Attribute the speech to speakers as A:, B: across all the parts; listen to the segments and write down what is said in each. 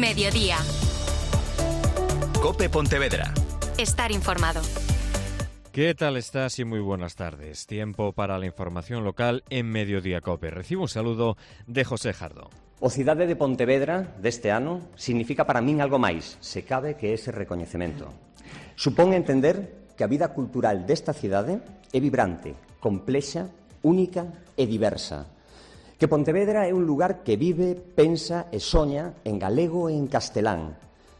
A: Mediodía.
B: COPE Pontevedra.
A: Estar informado.
C: ¿Qué tal estás? Y muy buenas tardes. Tiempo para la información local en Mediodía COPE. Recibo un saludo de José Jardón.
D: O cidade de Pontevedra deste ano significa para min algo máis, se cabe, que ese recoñecemento. Supón entender que a vida cultural desta cidade é vibrante, complexa, única e diversa. Que Pontevedra é un lugar que vive, pensa e soña en galego e en castelán,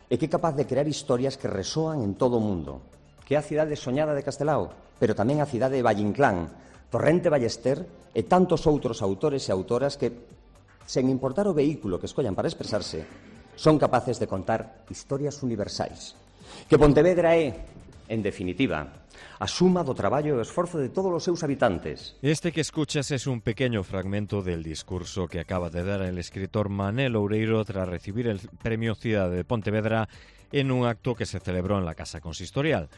D: e que é capaz de crear historias que resoan en todo o mundo. Que é a cidade soñada de Castelao, pero tamén a cidade de Vallinclán, Torrente Ballester e tantos outros autores e autoras que, sen importar o vehículo que escollan para expresarse, son capaces de contar historias universais. Que Pontevedra é, en definitiva, a suma do traballo e o esforzo de todos os seus habitantes.
C: Este que escuchas es un pequeño fragmento del discurso que acaba de dar el escritor Manel Oureiro tras recibir el Premio Cidade de Pontevedra en un acto que se celebró en la Casa Consistorial.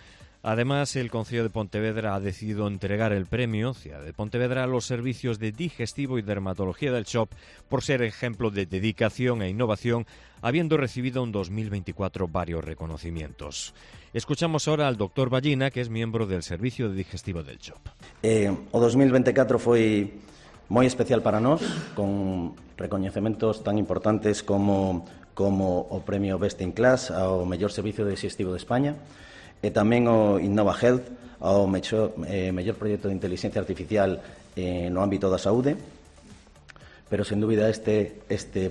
C: Además, el Concello de Pontevedra ha decidido entregar el premio Cidade de Pontevedra a los servicios de digestivo y dermatología del CHOP por ser ejemplo de dedicación e innovación, habiendo recibido en 2024 varios reconocimientos. Escuchamos ahora al doctor Ballina, que es miembro del servicio de digestivo del CHOP.
E: O 2024 foi moi especial para nós, con recoñecementos tan importantes como o premio Best in Class ao mellor servicio digestivo de España, e tamén o Innova Health ao mellor proxecto de inteligencia artificial no ámbito da saúde. Pero, sen dúbida, este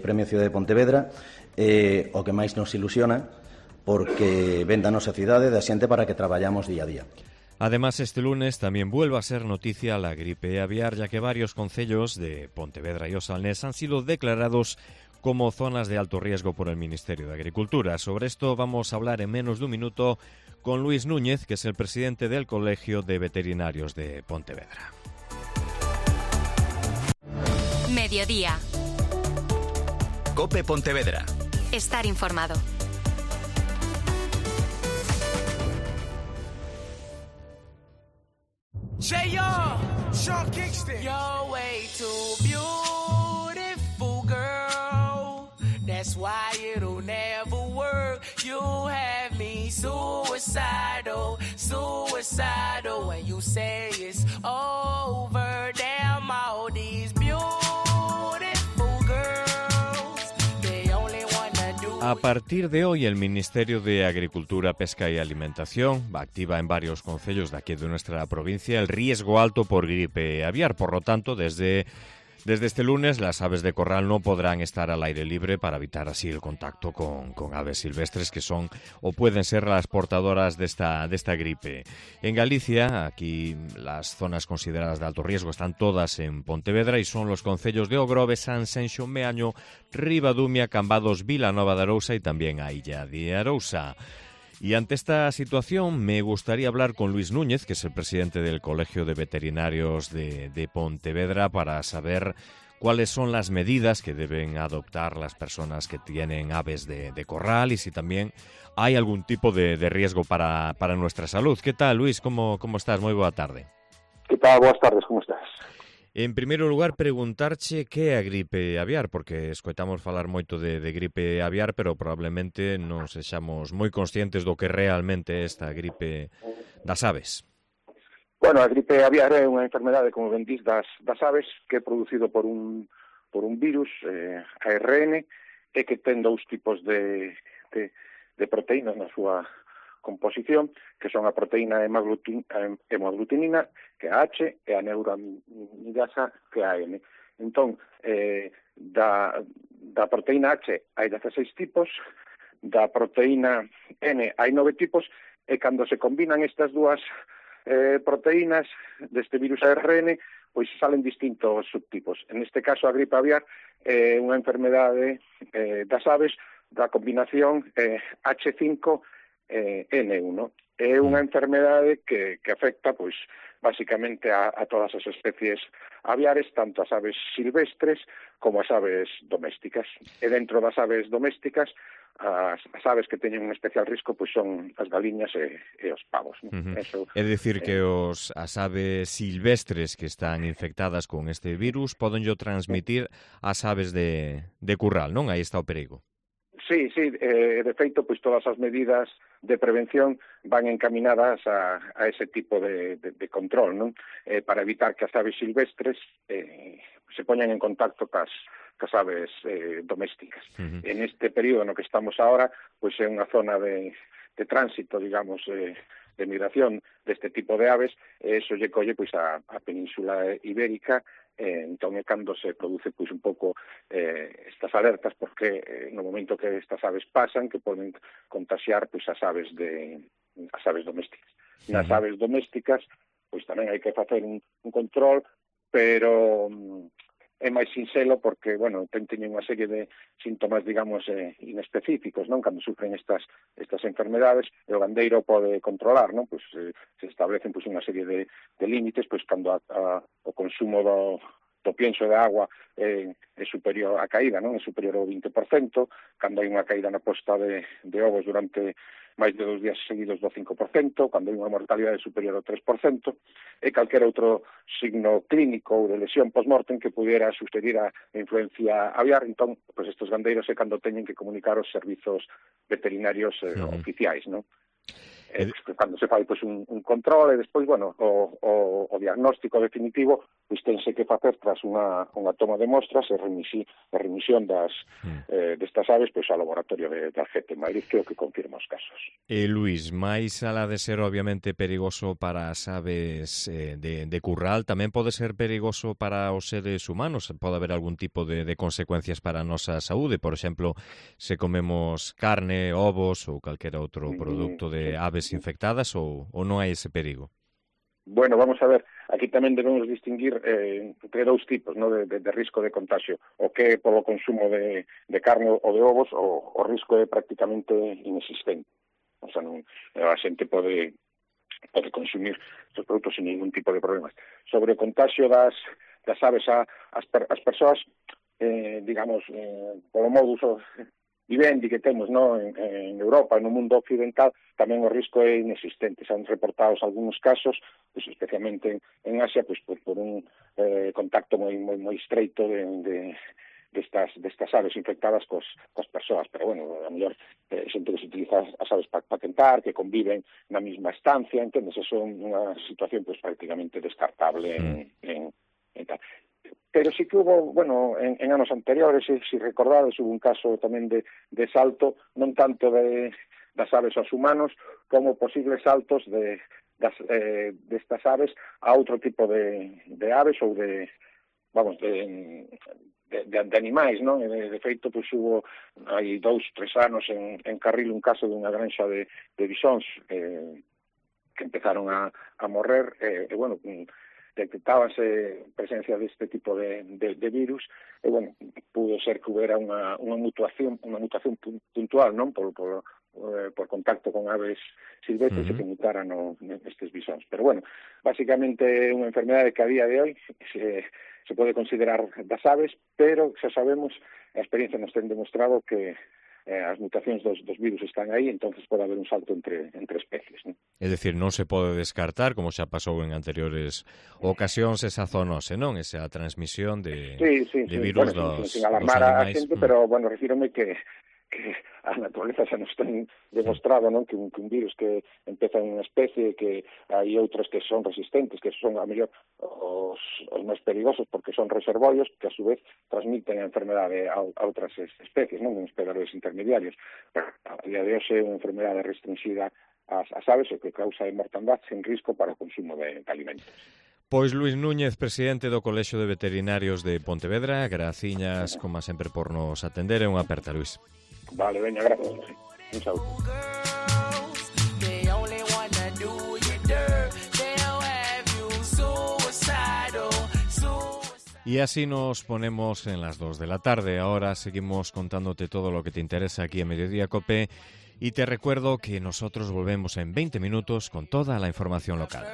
E: Premio Cidade de Pontevedra é o que máis nos ilusiona, porque ven da nosa cidade, da xente para que traballamos día a día.
C: Además, este lunes también vuelve a ser noticia la gripe aviar, ya que varios concellos de Pontevedra y Osalnés han sido declarados como zonas de alto riesgo por el Ministerio de Agricultura. Sobre esto vamos a hablar en menos de un minuto con Luis Núñez, que es el presidente del Colegio de Veterinarios de Pontevedra.
A: Mediodía.
B: COPE Pontevedra.
A: Estar informado.
F: Sean Kingston. You're way too beautiful, girl. That's why it'll never work. You have me suicidal when you say it's over. Damn, all these beautiful girls, they only wanna do.
C: A partir de hoy, el Ministerio de Agricultura, Pesca y Alimentación activa en varios concellos de aquí de nuestra provincia el riesgo alto por gripe aviar. Por lo tanto, desde este lunes las aves de corral no podrán estar al aire libre para evitar así el contacto con aves silvestres que son o pueden ser las portadoras de esta gripe. En Galicia, aquí las zonas consideradas de alto riesgo están todas en Pontevedra y son los concellos de Ogrove, Sanxenxo, Meaño, Ribadumia, Cambados, Vilanova de Arousa y tamén a Illa de Arousa. Y ante esta situación me gustaría hablar con Luis Núñez, que es el presidente del Colegio de Veterinarios de Pontevedra, para saber cuáles son las medidas que deben adoptar las personas que tienen aves de corral y si también hay algún tipo de riesgo para nuestra salud. ¿Qué tal, Luis? ¿Cómo estás? Muy buena tarde.
G: ¿Qué tal? Buenas tardes, ¿cómo estás?
C: En primeiro lugar, preguntarche que é a gripe aviar, porque escoitamos falar moito de gripe aviar, pero probablemente non sexamos moi conscientes do que realmente é esta gripe das aves.
G: Bueno, a gripe aviar é unha enfermedade, como ben dís, das aves, que é producido por un virus, ARN, e que ten dous tipos de proteínas na súa composición, que son a proteína hemaglutinina, que é a H, e a neuroamidasa, que é a N. Entón, da proteína H hai 16 tipos, da proteína N hai 9 tipos, e cando se combinan estas dúas proteínas deste virus ARN, pois salen distintos subtipos. En este caso, a gripe aviar é unha enfermedade das aves da combinación H5 N1. É unha enfermedade que afecta, pois, basicamente a todas as especies aviares, tanto as aves silvestres como as aves domésticas. E dentro das aves domésticas, as aves que teñen un especial risco pois son as galiñas e os pavos. Eso,
C: é dicir que as aves silvestres que están infectadas con este virus podenllo transmitir ás aves de curral, non? Aí está o perigo.
G: Sí, de feito, pois todas as medidas de prevención van encaminadas a ese tipo de control, non? Para evitar que as aves silvestres se poñan en contacto cas aves domésticas. En este período no que estamos ahora, pois é unha zona de tránsito, digamos, de migración deste tipo de aves, e iso lle colle pois a Península Ibérica. Entón é cando se produce pois un pouco estas alertas, porque no momento que estas aves pasan, que poden contaxiar pois as aves domésticas. Nas aves domésticas pois tamén hai que facer un control, pero é máis sinxelo porque, bueno, teñen unha serie de síntomas, digamos, inespecíficos, non? Cando sufren estas enfermedades, o gandeiro pode controlar, non? Pois se establecen pois unha serie de límites, pois cando o consumo do pienso de agua é superior á caída, non? É superior ao 20%, cando hai unha caída na posta de ovos durante máis de 2 días seguidos do 5%, cando hai unha mortalidade superior ao 3%, e calquera outro signo clínico ou de lesión post-mortem que pudiera sugerir a influencia aviar. Entón, pois estes gandeiros é cando teñen que comunicar aos servizos veterinarios oficiais, non? Cando se fai pois un control e despois, bueno, o diagnóstico definitivo pois tense que facer tras unha toma de mostras e remisión destas aves pois ao laboratorio de Algete, en Madrid, creo que confirma os casos.
C: Luís, máis alá de ser obviamente perigoso para as aves de curral, tamén pode ser perigoso para os seres humanos? Pode haber algún tipo de consecuencias para a nosa saúde? Por exemplo, se comemos carne, ovos ou calquera outro produto de aves infectadas, ou non hai ese perigo?
G: Bueno, vamos a ver, aquí tamén debemos distinguir entre dous tipos, ¿no? de risco de contagio, o que é polo consumo de carne ou de ovos, o risco é prácticamente inexistente. O sea, a xente pode consumir estes produtos sin ningún tipo de problemas. Sobre o contagio das aves ás persoas, digamos, polo modus vivendi que temos, no, en Europa, no mundo occidental, tamén o risco é inexistente. Se han reportados algúns casos, pues, especialmente en Asia, pues, por un contacto moi estreito destas aves infectadas cos persoas. Pero, bueno, a mellor xente que se utiliza as aves para tentar, que conviven na mesma estancia, entendes? Eso é unha situación pues, prácticamente descartable en tal. Pero sí que hubo, bueno, en anos anteriores, si recordades, hubo un caso tamén de salto, non tanto das aves aos humanos, como posibles saltos destas aves a outro tipo de aves ou de animais, non? De feito, pois hubo hai 2-3 anos en Carril un caso dunha granxa de bisóns que empezaron a morrer, e, bueno, detectábase presencia deste tipo de virus, e, bueno, pudo ser que houbera unha mutación puntual, non? Por contacto con aves silvestres que mutaran nestes bisóns. Pero, bueno, basicamente é unha enfermedade que a día de hoy se pode considerar das aves, pero xa sabemos, a experiencia nos ten demostrado que as mutacións dos virus están aí, entonces pode haber un salto entre especies, ¿no?
C: É dicir, non se pode descartar, como xa pasou en anteriores ocasións, esa zoonose, non? Esa transmisión de virus
G: sin alarmar a xente, pero, bueno, refírome que a naturaleza xa nos ten demostrado, non, que un virus que empeza en unha especie, que hai outros que son resistentes, que son a mellor os máis perigosos porque son reservorios, que a su vez transmiten a enfermedade a outras especies, non, uns predadores intermediarios. Pero a día de hoxe é unha enfermedade restringida ás aves, o que causa mortandade sen risco para o consumo de alimentos.
C: Pois Luís Núñez, presidente do Colexio de Veterinarios de Pontevedra, graciñas, como sempre, por nos atender, e unha aperta, Luís.
G: Vale, veña, gracias. Un saúdo.
C: Y así nos ponemos en las 2 de la tarde. Ahora seguimos contándote todo lo que te interesa aquí en Mediodía COPE. Y te recuerdo que nosotros volvemos en 20 minutos con toda la información local.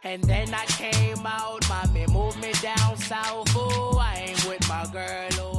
F: And then I came out, mommy moved me down south, oh, I ain't with my girl, oh.